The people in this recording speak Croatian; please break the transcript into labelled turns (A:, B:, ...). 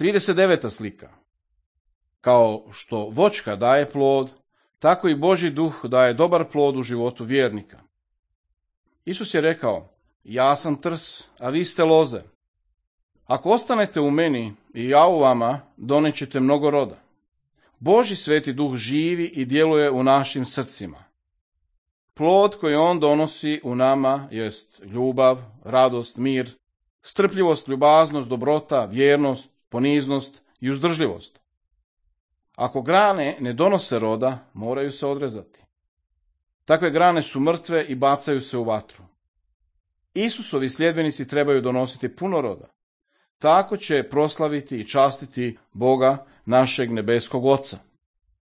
A: 39. slika. Kao što voćka daje plod, tako i Božji duh daje dobar plod u životu vjernika. Isus je rekao, ja sam trs, a vi ste loze. Ako ostanete u meni i ja u vama, donećete mnogo roda. Božji sveti duh živi i djeluje u našim srcima. Plod koji on donosi u nama jest ljubav, radost, mir, strpljivost, ljubaznost, dobrota, vjernost, poniznost i uzdržljivost. Ako grane ne donose roda, moraju se odrezati. Takve grane su mrtve i bacaju se u vatru. Isusovi sljedbenici trebaju donositi puno roda. Tako će proslaviti i častiti Boga, našeg nebeskog Oca.